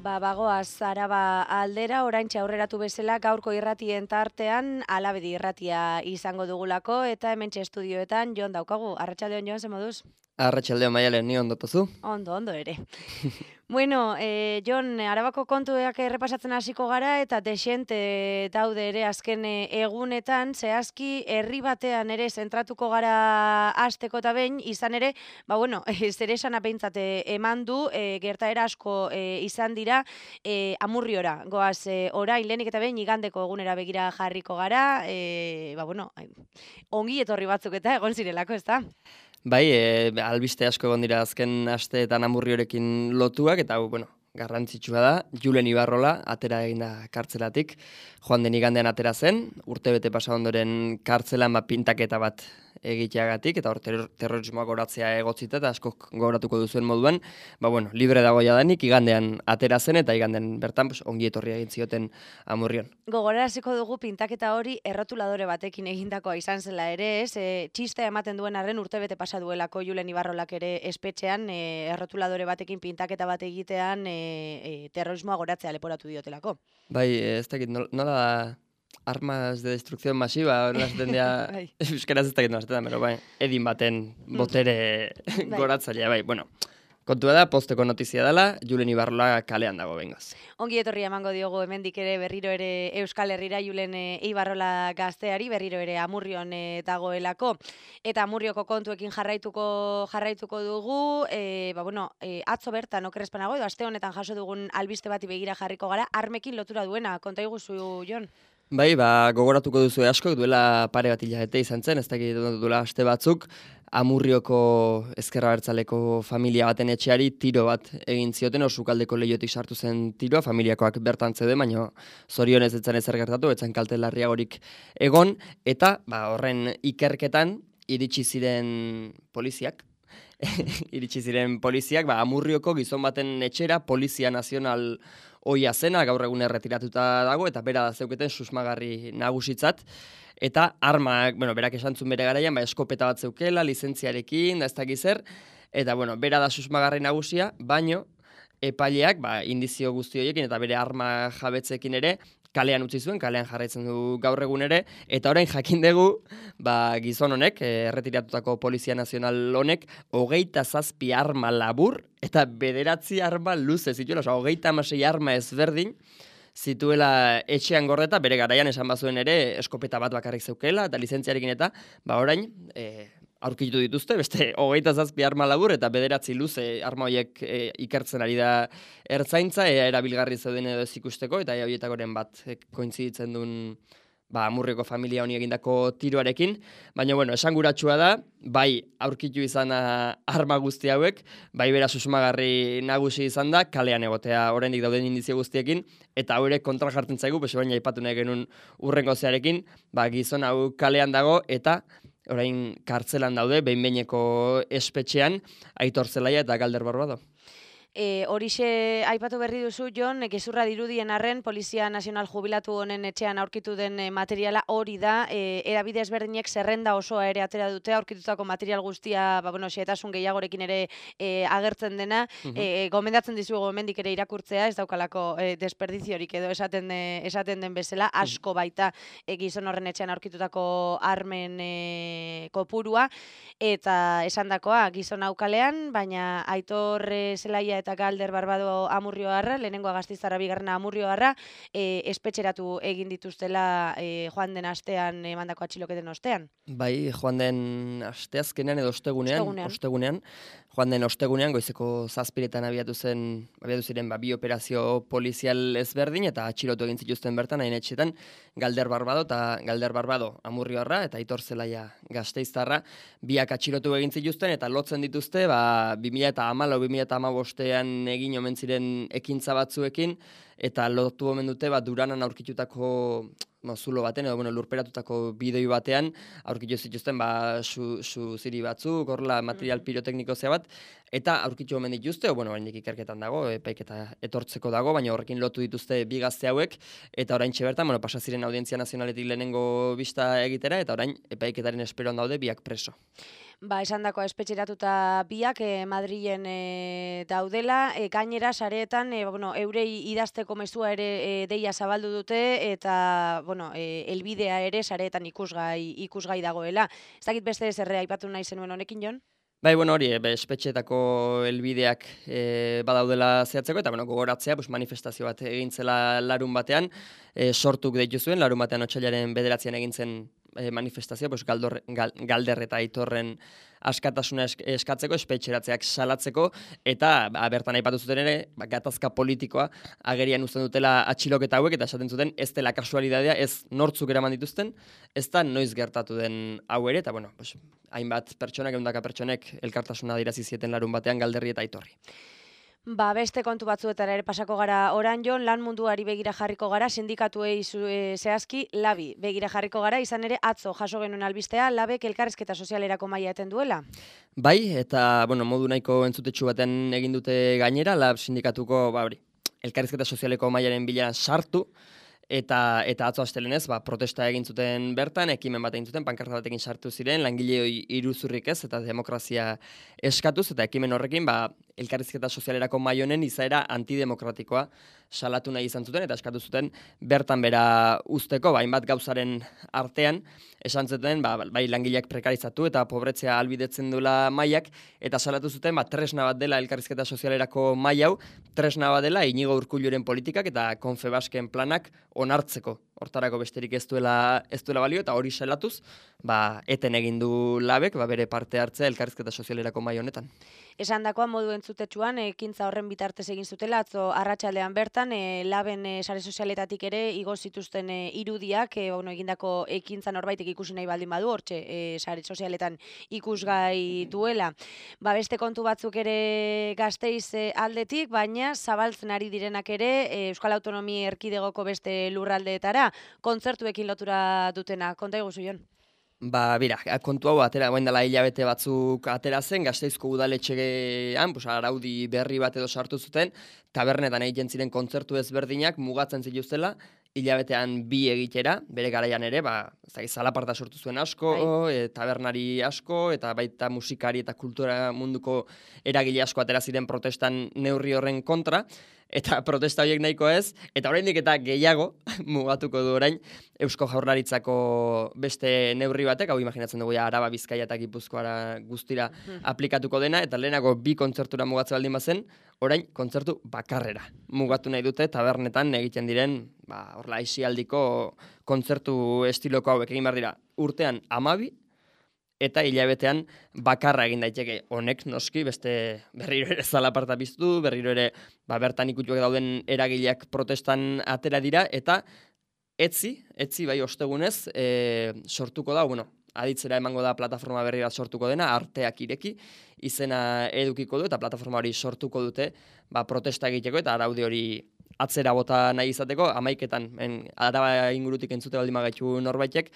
Bagoaz Araba aldera, oraintxe aurreratu bezala gaurko irratien tartean Alabedi irratia izango dugulako eta hementxe estudioetan Jon daukagu. Arratsaldeon Jon, ze moduz? Arratsaldeon Maialen, ni ondo tozu? Ondo ere. Bueno, Jon, Arabako kontuak errepasatzen hasiko gara eta desente daude ere azken egunetan, zehazki herri batean ere zentratuko gara hasteko eta behin, izan ere, zer esan behintzat eman du, gertaera asko izan dira Amurriora. Goaz, orain lehenik eta behin igandeko egunera begira jarriko gara, ongi etorri batzuk eta egon zirelako, ezta? Bai, albiste asko egon dira azken asteetan Amurriorekin lotuak, eta garrantzitsua da, Julen Ibarrola atera egin da kartzelatik. Joan den igandean atera zen, urtebete pasa ondoren kartzelan pintaketa bat egiteagatik, eta hor terrorismoak goratzea egotzita, eta askok goratuko duzuen moduan, libre dago jadanik, igandean atera zen, eta igandean bertan ongi etorria egin zioten Amurrion. Gogoraraziko dugu pintaketa hori errotuladore batekin egindakoa izan zela ere, txistea ematen duen arren urtebete pasa duelako Julen Ibarrolak ere espetxean, errotuladore batekin pintaketa bat egitean terrorismoa goratzea leporatu diotelako. Bai, ez dakit, nola da armas de destrucción masiva, horrela zaten dira, euskeraz ez dakit nola zaten da, edin baten botere goratzailea, kontua da, posteko notizia dela, Julen Ibarrola kalean dago bengoz. Ongi etorria emango diogu hemendik ere berriro ere Euskal Herrira Julen Ibarrola gazteari, berriro ere Amurrion dagoelako. Eta Amurrioko kontuekin jarraituko dugu, atzo bertan okerrezpanago, edo aste honetan jaso dugun albiste bati begira jarriko gara, armekin lotura duena, konta iguzu, Jon? Bai, gogoratuko duzu asko, duela pare bat hilabete izan zen, ez dakit duela aste batzuk, Amurrioko ezker abertzaleko familia baten etxeari tiro bat egin zioten, sukaldeko lehiotik sartu zen tiroa, familiakoak bertan zeuden, baina zorionez ez zen ezer gertatu, ez zen kalte larriagorik egon, eta horren ikerketan iritsi ziren poliziak, Amurrioko gizon baten etxera, Polizia Nazional ohia zena, gaur egun erretiratuta dago, eta bera da zeuketen susmagarri nagusitzat, eta armak, berak esan zuen bere garaian, eskopeta bat zeukela, lizentziarekin, da ez dakiz zer, eta bera da susmagarri nagusia, baino epaileak, indizio guzti horiekin eta bere arma jabetzekin ere, kalean utzi zuen, kalean jarraitzen du gaur egun ere, eta orain jakin dugu, gizon honek, erretiratutako Polizia Nazional honek, 27 arma labur, eta 9 arma luze zituela, 36 arma ezberdin, zituela etxean gordeta, bere garaian esan bazuen ere, eskopeta bat bakarrik zeukela, eta lizentziarekin eta, orain, aurkitu dituzte, beste 27 arma labur, eta 9 luze arma horiek ikertzen ari da ertzaintza, erabilgarri zeuden edo ez ikusteko, eta horietakoren bat kointziditzen duen Amurrioko familia honi egindako tiroarekin, baina esanguratsua da, bai aurkitu izan arma guzti hauek, bai bera susmagarri nagusi izan da, kalean egotea oraindik dauden indizio guztiekin, eta haurek kontra jartzen zaigu, baina aipatu nahi genuen urrengo zearekin, gizon hau kalean dago, eta orain kartzelan daude, behin-behineko espetxean, Aitor Zelaia eta Galder Barbado. Horixe aipatu berri duzu, Jon, gezurra dirudien arren, Polizia Nazional jubilatu honen etxean aurkitu den materiala hori da, erabide ezberdinek zerrenda osoa ere atera dute, aurkitutako material guztia, xehetasun gehiagorekin ere agertzen dena, gomendatzen dizugu hemendik ere irakurtzea, ez daukalako desperdiziorik edo esaten den bezala, asko baita gizon horren etxean aurkitutako armen kopurua, eta esandakoa gizon aukalean, baina Aitor Zelaia eta Galder Barbado Amurrioarra, lehenengoa Gastizarra, bigarrena Amurrioarra, espetxeratu egin dituztela joan den astean emandako atxiloketen ostean. Bai, joan den asteazkenean edo ostegunean, joan den ostegunean, goizeko 7:00 abiatu ziren bi operazio polizial ezberdin, eta atxilotu egin zituzten bertan, hain etxetan, Galder Barbado Amurrioarra, eta Aitor Zelaia Gasteiztarra, biak atxilotu egin zituzten, eta lotzen dituzte, 2014-2015 egin omen ziren ekintza batzuekin, eta lotu omen dute Duranan aurkitutako zulo baten, edo lurperatutako bidoi batean, aurkitu zituzten ziri batzuk, horrela material pirotekniko bat, eta aurkitu omen dituzte, oraindik ikerketan dago, epaiketa etortzeko dago, baina horrekin lotu dituzte bi gazte hauek, eta oraintxe bertan, pasa ziren Audientzia Nazionaletik lehenengo bista egitera, eta orain epaiketaren esperoan daude biak preso. Esandakoa espetxeratuta biak Madrilen daudela, gainera sareetan eurei idazteko mezua ere deia zabaldu dute eta helbidea ere sareetan ikusgai dagoela. Ez dakit beste zerre aipatu nahi zenuen honekin, Jon? Bai, hori, espetxeetako helbideak badaudela zehatzeko, eta gogoratzea, manifestazio bat egintzela larun batean, sortuk deitu zuen, larun batean otsailaren 9 egin zen manifestazio, Galder eta Aitorren askatasuna eskatzeko, espetxeratzeak salatzeko, eta bertan aipatu zuten ere, gatazka politikoa agerian uzten dutela atxiloketa hauek, eta esaten zuten ez dela kasualidadea, ez nortzuk eraman dituzten, ez da noiz gertatu den hau ere, eta hainbat pertsonak, ehundaka pertsonek elkartasuna adierazi zieten larun batean Galderri eta Aitorri. Beste kontu batzuetara ere pasako gara orain, Jon, lan munduari begira jarriko gara, sindikatuei zehazki labi begira jarriko gara, izan ere atzo jaso genuen albistea, labek elkarrizketa sozialerako maila eten duela. Bai, eta modu nahiko entzutetsu baten egin dute gainera, lab sindikatuko elkarrizketa sozialeko mailaren bilan sartu, eta atzo astelenez, protesta egin zuten bertan, ekimen bat egin zuten, pankarta batekin sartu ziren, langileoi iruzurrik ez, eta demokrazia eskatuz, eta ekimen horrekin, elkarrizketa sozialerako mahai honen izaera antidemokratikoa salatu nahi izan zuten, eta eskatu zuten bertan bera uzteko, hainbat gauzaren artean, esan zuten, bai langileak prekarizatu eta pobretzea albidetzen duela mahaiak, eta salatu zuten, tresna bat dela elkarrizketa sozialerako mahai hau, tresna bat dela Inigo Urkulluren politikak eta Confebasken planak onartzeko. Hortarako besterik ez duela balio, eta hori salatuz, eten egin du labek, bere parte hartzea elkarrizketa sozialerako mahai honetan. Esandakoa modu entzutetsuan, ekintza horren bitartez egin zutela, atzo arratsaldean bertan, laben sare sozialetatik ere igo zituzten irudiak, egindako ekintza norbaitek ikusi nahi baldin badu, hortxe sare sozialetan ikusgai duela. Beste kontu batzuk ere Gasteiz aldetik, baina zabaltzen ari direnak ere Euskal Autonomia Erkidegoko beste lurraldeetara, kontzertuekin lotura dutena. Konta iguzu, Jon? Kontu hau atera, guen dela hilabete batzuk atera zen, Gasteizko udaletxean, araudi berri bat edo sartu zuten, tabernetan egiten ziren kontzertu ezberdinak mugatzen zituztela, hilabetean 2 egitera, bere garaian ere, zalaparta sortu zuen asko, tabernari asko, eta baita musikari eta kultura munduko eragile asko atera ziren protestan neurri horren kontra, eta protesta horiek nahiko ez, eta oraindik eta gehiago mugatuko du orain Eusko Jaurlaritzako beste neurri batek, hau imaginatzen dugu Araba, Bizkaia eta Gipuzkoara guztira aplikatuko dena, eta lehenago 2 kontzertura mugatzen baldin bazen, orain kontzertu bakarrera mugatu nahi dute tabernetan egiten diren, aisialdiko kontzertu estiloko hauek egin behar dira urtean 12, eta hilabetean bakarra egin daiteke honek noski, beste berriro ere zalaparta biztu, berriro ere bertan ikutuak dauden eragileak protestan atera dira, eta etzi bai ostegunez sortuko da, aditzera emango da plataforma berri bat sortuko dena, Arteak Ireki izena edukiko du, eta plataforma hori sortuko dute protesta egiteko, eta araudi hori atzera bota nahi izateko, 11etan, Araba ingurutik entzute baldin bagaitu norbaitek,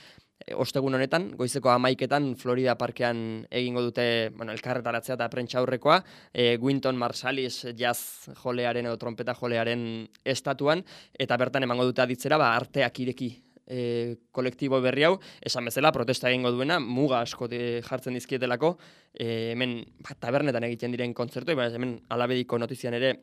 ostegun honetan, goizeko 11etan Florida Parkean egingo dute elkarretaratzea eta prentsa aurrekoa, Wynton Marsalis jazz jolearen edo trompeta jolearen estatuan, eta bertan emango dute aditzera Arteak Ireki kolektibo berri hau, esan bezala protesta egingo duena, muga asko jartzen dizkietelako, hemen tabernetan egiten diren kontzertu, hemen Alabediko notizian ere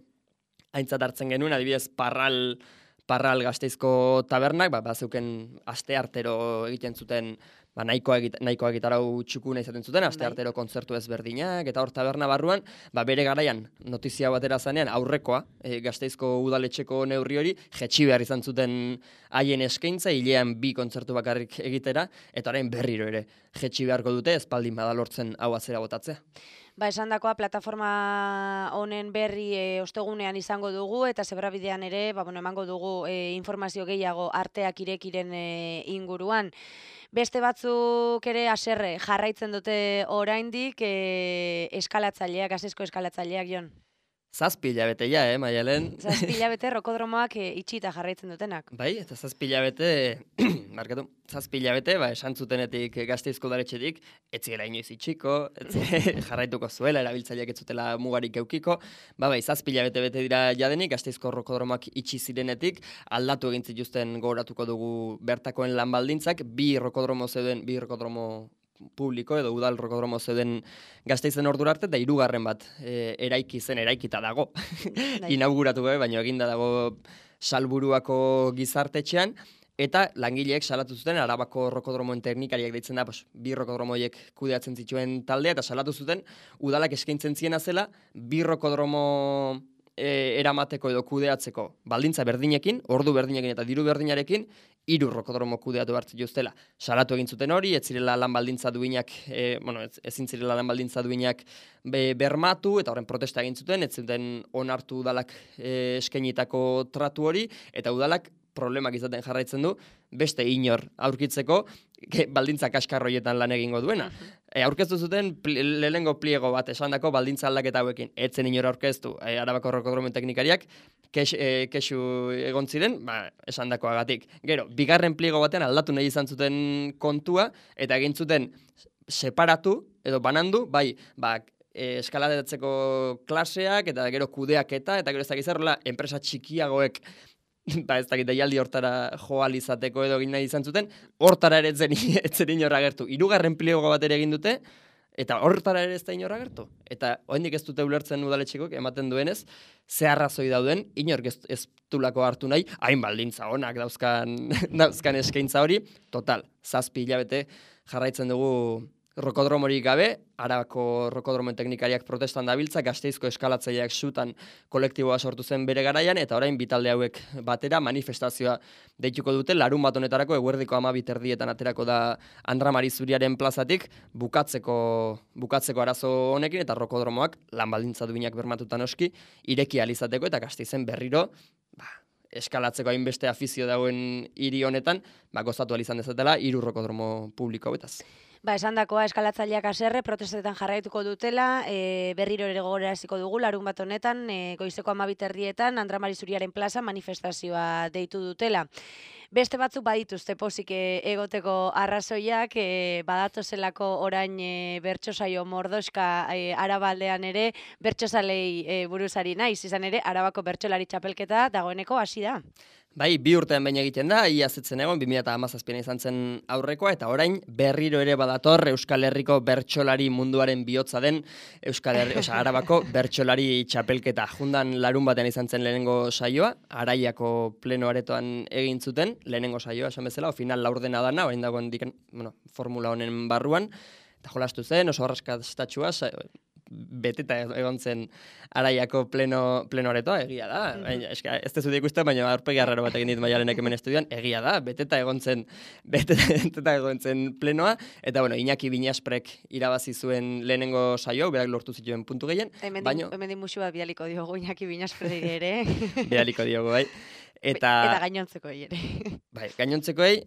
aintzat hartzen genuen, adibidez Parral Gasteizko tabernak, bazeuken aste artero egiten zuten, nahikoa gitarau txukuna izaten zuten, aste artero kontzertu ezberdinak, eta hor taberna barruan, bere garaian notizia batera zanean aurrekoa, Gasteizko udaletxeko neurri hori, jetxi behar izan zuten haien eskaintza, hilean 2 kontzertu bakarrik egitera, eta orain berriro ere jetxi beharko dute, espaldin badalortzen hau atzera botatzea. Esandakoa plataforma honen berri ostegunean izango dugu, eta Zebrabidean ere emango dugu informazio gehiago Arteak Irekiren inguruan. Beste batzuk ere haserre jarraitzen dute oraindik eskalatzaileak, Gasteizko eskalatzaileak, Jon? 7 hilabete ja, Maialen? 7 hilabete rokodromoak itxita jarraitzen dutenak. Bai, eta 7 hilabete, markatu, 7 hilabete, esan zutenetik Gasteizko udaletxetik, ez zela inoiz itxiko, jarraituko zuela, erabiltzaileak ez zutela mugarik eukiko, bai, 7 hilabete bete dira jadenik, Gasteizko rokodromoak itxi zirenetik, aldatu egin zituzten gogoratuko dugu bertakoen lan baldintzak, bi rokodromo publiko edo udal rokodromo zeuden Gasteizen ordura arte, eta 3. bat eraikita dago. Inauguratu gabe, baina eginda dago Salburuako gizartetxean, eta langileek salatu zuten Arabako rokodromoen teknikariak deitzen da, bi rokodromoiek kudeatzen zituen taldea, eta salatu zuten udalak eskaintzen ziena zela, bi rokodromo eramateko edo kudeatzeko baldintza berdinekin, ordu berdinekin eta diru berdinarekin, 3 rokodromo kudeatu hartzen juztela. Salatu egin zuten hori, ez zirela lan baldintza duinak, ezin zirela lan baldintza duinak bermatu, eta horren protesta egin zuten, ez zuten onartu udalak eskainitako tratu hori, eta udalak problemak izaten jarraitzen du, beste inor aurkitzeko, baldintza kaskarroietan lan egingo duena. Aurkeztu zuten lehenengo pliego bat esandako baldintza aldaketa hauekin. Etzen inor aurkeztu, Arabako rokodromoen teknikariak, kexu egon ziren, esandakoagatik. Gero, 2. pliego batean aldatu nahi izan zuten kontua, eta egin zuten separatu, edo banandu, eskalatzeko klaseak, eta gero kudeaketa, eta gero ez dakizarrola, enpresa txikiagoek ez dakit deialdi hortara joal izateko edo egin nahi izan zuten, hortara ere etzen inor agertu. 3. pliego bat ere egin dute, eta hortara ere ez da inor agertu. Eta oraindik ez dute ulertzen udaletxekok ematen duenez, ze arrazoi dauden, inork ez dulako hartu nahi, hain baldintza onak dauzkan eskaintza hori, total, 7 hilabete jarraitzen dugu rokodromorik gabe, Arabako rokodromoen teknikariak protestan dabiltza, Gasteizko eskalatzaileak sutan kolektiboa sortu zen bere garaian, eta orain bitalde hauek batera manifestazioa deituko dute, larun bat honetarako eguerdiko 12:00 aterako da Andra Mari Zuriaren plazatik, bukatzeko arazo honekin, eta rokodromoak lan baldintza duinak bermatuta noski, ireki ahal izateko, eta Gasteizen berriro, eskalatzeko hainbeste afizio dauen hiri honetan, gozatu ahal izan dezatela 3 rokodromo publiko hauetaz. Esandakoa eskalatzaileak haserre protestetan jarraituko dutela, berriro ere gogoraraziko dugu, larun bat honetan, goizeko 12:00 Andra Mari Zuriaren plaza manifestazioa deitu dutela. Beste batzuk badituzte pozik egoteko arrazoiak, badatozelako orain bertso saio mordoska Arabaldean ere, bertsozalei buruzari naiz, izan ere, Arabako bertsolari txapelketa dagoeneko hasi da. Bai, 2 urtean baina egiten da, iaz etzen egon, 2017 izan zen aurrekoa, eta orain berriro ere badator Euskal Herriko bertsolari munduaren bihotza den Arabako bertsolari txapelketa. Jundan larun batean izan zen lehenengo saioa, Araiako pleno aretoan egin zuten, lehenengo saioa esan bezala, final laurdena dana, orain dagoen formula honen barruan, eta jolastu zen, oso arraskastatxua, beteta egon zen Araiako pleno aretoa, egia da. Ez tezu ikusten, baina aurpegi arraro bat egin dit Maialenek hemen estudioan, egia da, beteta egon zen plenoa, eta Iñaki Binasprek irabazi zuen lehenengo saio, berak lortu zituen puntu gehien. Hemen musu bat bialiko diogu Iñaki Binasprek ere. Bialiko diogu, bai. Eta gainontzekoei ere. Bai, gainontzekoei,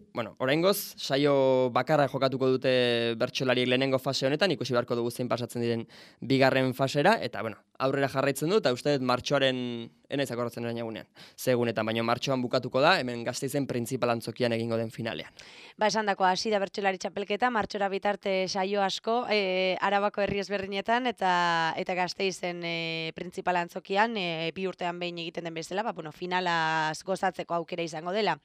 oraingoz, saio bakarra jokatuko dute bertsolariek lehenengo fase honetan, ikusi beharko dugu zein pasatzen diren 2. fasera, eta aurrera jarraitzen du, eta uste dut martxoaren, enaiz akordatzen orain egunean, zegunetan, baina martxoan bukatuko da, hemen Gasteizen printzipal antzokian egingo den finalean. Esandakoa hasi da bertsolari txapelketa, martxora bitarte saio asko, Arabako herri ezberdinetan, eta Gasteizen printzipal antzokian, 2 urtean behin egiten den bezala, finalaz gozatzeko aukera izango dela.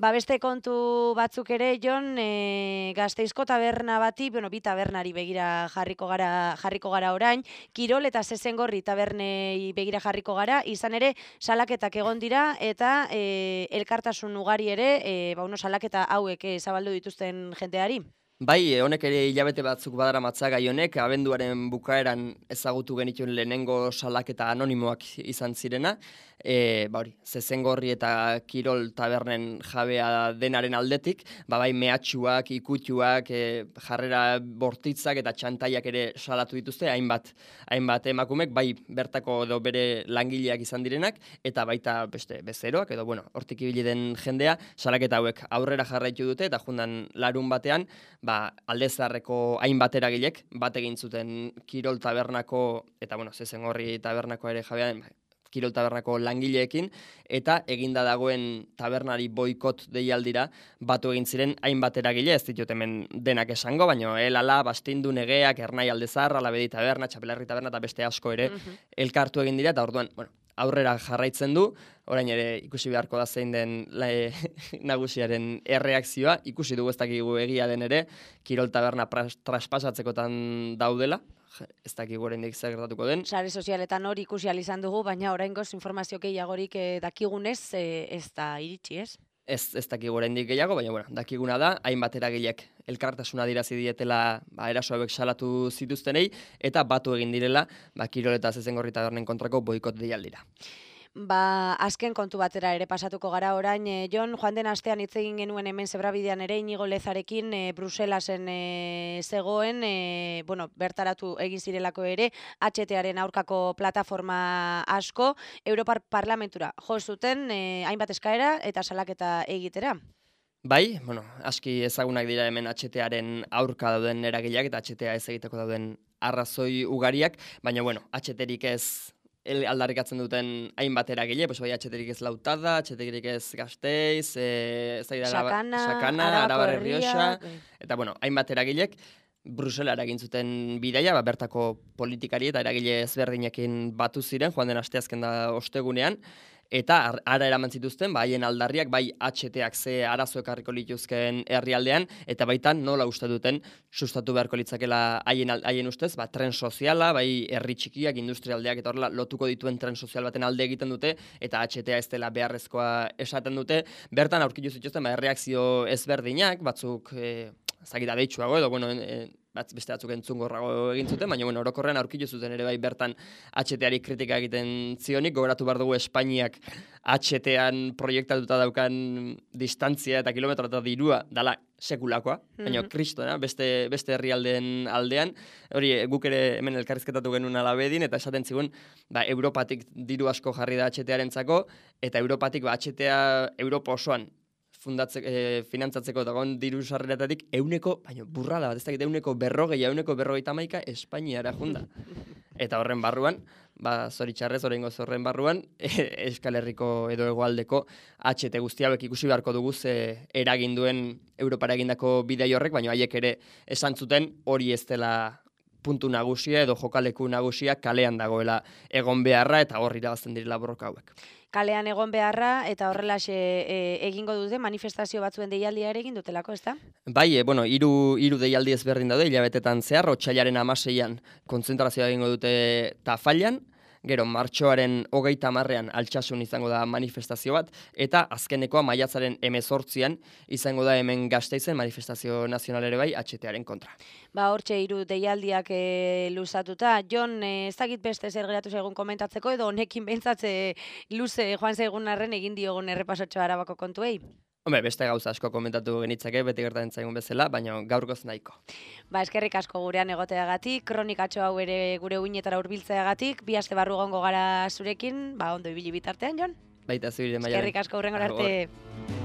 Beste kontu batzuk ere, Jon, Gasteizko taberna bati, bi tabernari begira jarriko gara orain, Kirol eta Zezengorri tabernei begira jarriko gara, izan ere, salaketak egon dira, eta elkartasun ugari ere, salaketa hauek zabaldu dituzten jendeari. Bai, honek ere hilabete batzuk badara matzagai honek, abenduaren bukaeran ezagutu genituen lehenengo salaketa anonimoak izan zirena, Zezengorri eta Kirol tabernen jabea denaren aldetik, bai mehatxuak, ikutxuak, jarrera bortitzak eta txantaiak ere salatu dituzte, hainbat emakumek, bai bertako edo bere langileak izan direnak, eta baita beste bezeroak, edo hortik ibili den jendea, salaketa hauek aurrera jarraitu dute, eta jundan larun batean, Aldezaharreko hainbat eragilek bat egin zuten Kirol Tabernako, eta Zezengorri Tabernako ere jabean, Kirol Tabernako langileekin, eta eginda dagoen tabernari boikot deialdira batu egin ziren hainbat eragile, ez ditut hemen denak esango, baina Elala, Bastindu, Negeak, Ernai Aldezar, Alabedi Taberna, Txapelarri Taberna eta beste asko ere elkartu egin dira, eta orduan, aurrera jarraitzen du, orain ere ikusi beharko da zein den nagusiaren erreakzioa, ikusi dugu ez dakigu egia den ere, Kirol Taberna traspasatzekotan daudela, ez dakigu oraindik zer gertatuko den. Sare sozialetan hori ikusi ahal izan dugu, baina oraingoz informazio gehiagorik dakigunez ez da iritsi, ez? Ez dakigu oraindik gehiago, baina dakiguna da, hainbat eragilek elkartasuna dirazi dietela eraso hauek salatu zituztenei, eta batu egin direla Kirol eta Zezengorri Tabernen kontrako boikot deialdira. Azken kontu batera ere pasatuko gara orain, Jon, joan den astean hitz egin genuen hemen Zebrabidean ere Inigo Lezarekin Bruselasen zegoen, bertaratu egin zirelako ere, HTaren aurkako plataforma asko, Europar Parlamentura jo zuten hainbat eskaera eta salaketa egitera. Bai, aski ezagunak dira hemen HTaren aurka dauden eragileak eta HTA ez egiteko dauden arrazoi ugariak, baina HTrik ez aldarrikatzen duten hainbat eragile, bai HTrik ez Lautada, HTrik ez Gasteiz, Sakana, Arabar Errioxa, eta hainbat eragilek Bruselara egin zuten bidaia, bertako politikari eta eragile ezberdinekin batu ziren, joan den asteazken da ostegunean, eta ara eraman zituzten, haien aldarriak, bai HTak ze arazo ekarriko lituzkeen herrialdean, eta baitan nola uste duten sustatu beharko litzakela haien ustez, tren soziala, bai herri txikiak, industrialdeak, eta horrela lotuko dituen tren sozial baten alde egiten dute, eta HTA ez dela beharrezkoa esaten dute, bertan aurkitu zituzten, erreakzio ezberdinak, batzuk zagita deitsuago edo, beste batzuk entzungorrago egin zuten, baina orokorrean aurkitu zuten ere bai bertan HTari kritika egiten zionik, gogoratu behar dugu Espainiak HTan proiektatuta daukan distantzia eta kilometro eta dirua dala sekulakoa, baina kristona, beste herrialdeen aldean, hori guk ere hemen elkarrizketatu genuen Alabedin, eta esaten zigun, Europatik diru asko jarri da HTarentzako, eta Europatik HTA Europa osoan finantzatzeko dagoen diru sarreretatik baina burrada bat, ez dakit 140, Espainiara junda. Eta horren barruan, zoritxarrez, oraingoz horren barruan, Euskal Herriko edo hegoaldeko HT guzti hauek ikusi beharko dugu ze eragin duen Europara egindako bidai horrek, baina haiek ere esan zuten hori ez dela puntu nagusia edo jokaleku nagusia kalean dagoela egon beharra eta hor irabazten direla borroka hauek. Kalean egon beharra eta horrelaxe egingo dute manifestazio batzuen deialdia ere egin dutelako, ezta? Bai, hiru deialdi ezberdin daude hilabetetan zehar, otsailaren 16an kontzentrazioa egingo dute Tafallan, gero martxoaren 30ean Altsasun izango da manifestazio bat, eta azkenekoa maiatzaren 18an izango da hemen Gasteizen manifestazio nazional ere bai HTaren kontra. Hortxe hiru deialdiak luzatuta. Jon, ez dakit beste zer geratu zaigun komentatzeko edo honekin behintzatze luze joan zaigun arren egin diogun errepasotxo Arabako kontuei? Beste gauza asko komentatu genitzake, beti gertatzen zaigun bezala, baina gaurkoz nahiko. Eskerrik asko gurean egoteagatik, kronikatxo hau ere gure uinetara hurbiltzeagatik, bi aste barru gongo gara zurekin, ondo ibili bitartean, Jon? Baita zubire, Maialen. Eskerrik asko hurrengora arte.